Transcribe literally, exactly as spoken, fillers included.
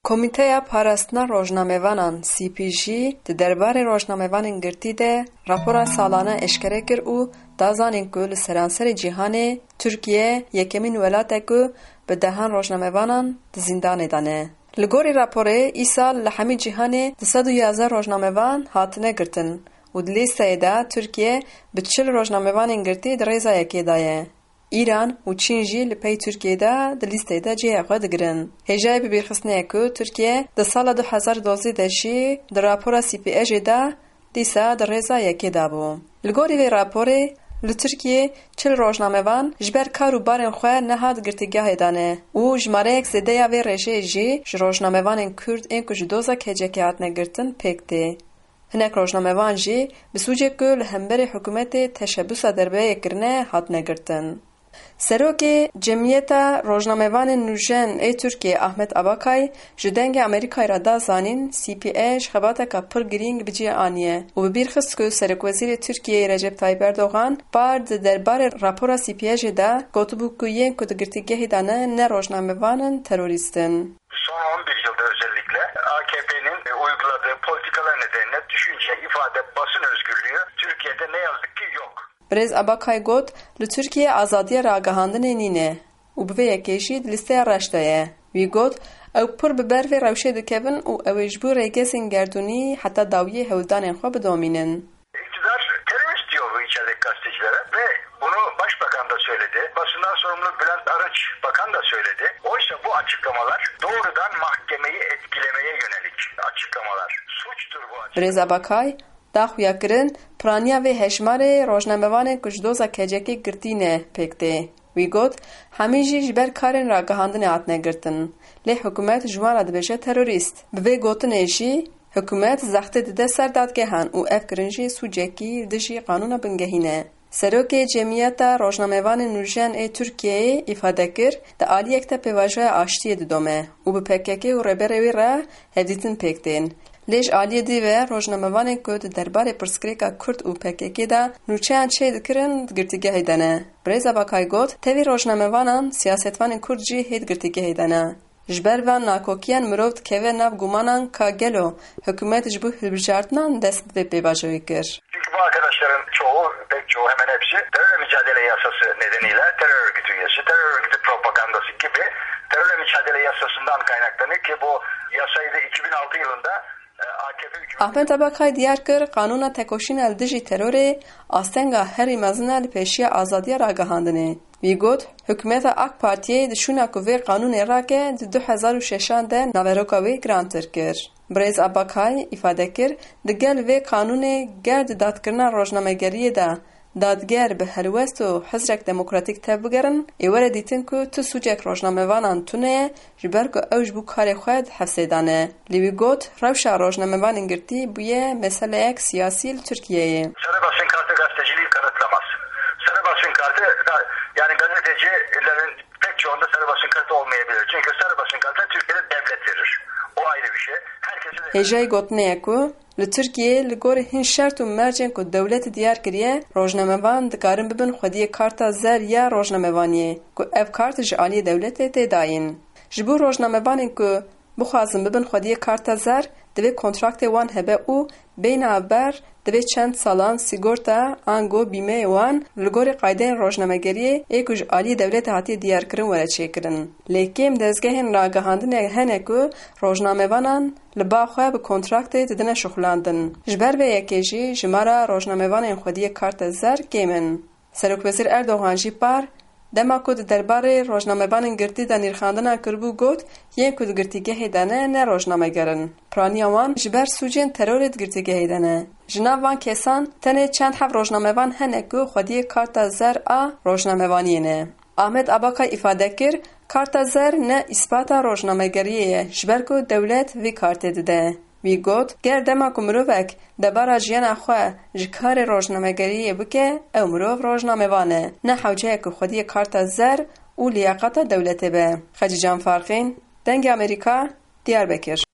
Komîteya Parastina Rojnamevanan, C P J, di derbarê rojnamevanên girtî de rapora salane eşkere kir û da zanîn ku li seranserê cîhanê Tirkiye yekemîn welat e ku bi dehan rojnamevanan di zîndanê de ne. Li gorî raporê, îsal li hemî cîhanê du sed û yazdeh rojnamevan hatine girtin û di lîsteyê de Tirkiye bi çil rojnamevanên girtî di rêza yekê de ye. Îran û Çîn jî li pey Tirkiyê de di lîsteyê de cihê xwe digirin. Hêjayî bibîrxistinê ye ku Tirkiye di sala du hezar û duwazdeh de jî di rapora C P J'ê de dîsa di rêza yekê de bû. Li gorî vê raporê, li Tirkiyê çil rojnamevan ji ber kar û barên xwe nehat girtîgehê de ne û jimareyek zêde ya vê rêjeyê jî ji rojnamevanên Kurd ên ku ji doza K C K hatine girtin pêk tê. Hinek rojnamevan jî bi sûcê ku li hemberî hikûmetê teşebusa derbeyê kirine hatine girtin. Serokê Cemiyeta Rojnamevanên Nûjen ê Tirkiyê Ahmet Abakay ji Dengê Amerîkayê re da zanîn, C P J xebateka pir girîng bi cih aniye û bi bîr xist ku Serokwezîrê Tirkiyeyê Recep Tayyip Erdogan par di derbarê rapora C P J'ê de gotibû ku yên ku di girtîgehê de ne, ne rojnamevan in, terorîst in. Son on bir yılda özellikle A K P'nin uyguladığı politikalar nedeniyle düşünce, ifade, basın özgürlüğü Türkiye'de ne yazık ki yok. Birêz Abakay got, li Tirkiyê azadiya ragihandinê nîne û bi vê yekê jî di lîsteya reş de ye. Wî got, ew pir bi ber vê rewşê dikevin û ew ê ji bo rêgezên gerdûnî heta dawiyê hewldanên xwe bidomînin. İktidar terörist diyor bu içerideki gazetecilere ve bunu başbakan da söyledi. Basından sorumlu Bülent Arınç bakan da söyledi. Oysa bu açıklamalar doğrudan mahkemeyi etkilemeye yönelik açıklamalar. Suçtur bu açıklama. Birêz Abakay da xuyakirin, piraniya vê hejmarê rojnamevanên ku ji doza K C K girtî ne pêk tê. Wî got, hemî jî ji ber karên ragihandinê hatine girtin. Lê hikûmet ji wan re dibêje terorîst. Bi vê gotinê jî, hikûmet zextê dide ser dadgehan û ev kirin jî sûcekî li dijî qanûna bingehîn e. Serokê Cemiyeta Rojnamevanên Nûjen ê Tirkiyeyê îfade kir, di aliyek de pêvajoya aştiyê didome û bi P K K û rêberê wê re hevdîtin pêk tên. Lê ji aliyê dî ve rojnamevanên ku di derbarê pirsgirêka Kurd û P K K de nûçeyan çêdikirin di girtîgehê de ne. Birêz Abakay got, tevî rojnamevanan, siyasetvanên Kurd jî hê di girtîgehê de ne. Ji ber van nakokiyan mirov dikeve nav gumanan ka gelo hikûmet ji bo hilbijartinan dest bi vê pêvajoyê kir. Çünkü bu arkadaşların çoğu, pek çoğu, hemen hepsi terörle mücadele yasası nedeniyle terör örgütü üyesi, terör örgütü propagandası gibi terörle mücadele yasasından kaynaklanıyor ki bu yasayı da iki bin altı yılında, e, A K P hükümeti Ahmet Abakay diyar kir, qanûna tekoşîna li dijî terorê astenga herî mezin e li pêşiya azadiya ragihandinê. Wî got, hikûmeta A K Partiyê di şûna ku vê qanûnê rake di du hezar û şeşan de naveroka wê girantir kir. Birêz Abakay îfade kir, di gel vê qanûnê ger di dadkirina rojnamegeriyê de dadger bi helwest û hizrek demokratîk tevbigerin, ê were dîtin ku tu sûcek rojnamevanan tune ye, ji ber ku ew ji bo karê xwe di hefsê de ne. Lê wî got, rewşa rojnamevanên girtî bûye meseleyek siyasî li Tirkiyeyê. Sarı basın kartı gazeteciliği kanıtlamaz. Sarı basın kartı da, yani gazetecilerin pek çoğunda sarı basın kartı olmayabilir. Çünkü sarı basın kartı Türkiye'de devlet verir. O ayrı bir şey. Herkese de Hêjayî gotinê ye ku li Tirkiyeyê li gorî hin şert û mercên ku dewlet diyar kiriye, rojnamevan dikarin bibin xwediyê karta zer ya rojnamevaniyê, ku ev kart ji aliyê dewletê tê dayîn. Ji bo rojnamevanên ku bixwazin bibin xwediyê karta zer, divê kontraktê wan hebe û bê navber, divê çend salan sîgorta, ango bîmeyê wan li gorî qaydeyên rojnamegeriyê ê ku ji aliyê dewletê hatiye diyarkirin were çêkirin. Lê kêm dezgehên ragihandinê hene ku rojnamevanan li ba xwe bi kontraktê didine şuxulandin. Ji ber vê yekê jî jimara rojnamevanên xwediyê karta zer kêm in. Serokwezîr Erdogan jî par, dema ku di derbarê rojnamevanên girtî de nirxandina kiribû, got, yên ku di girtîgehê de ne, ne rojnameger in. Piraniya wan ji ber sûcên terorê di girtîgehê de ne. Ji nav van kesan tenê çend heb rojnamevan hene ku xwediyê karta zer a rojnamevaniyê ne. Ahmet Abakay îfade kir, karta zer ne îspata rojnamegeriyê ye, ji ber ku dewlet vî kartê dide. Wî got, ger dema ku mirovek debara jiyana xwe ji karê rojnamegeriyê bike, ew mirov rojnamevan e, ne hewce ye ku xwediyê karta zer û liyaqata dewletê be. Xecîcan Farqîn, Dengê Amerîka, Diyarbekir.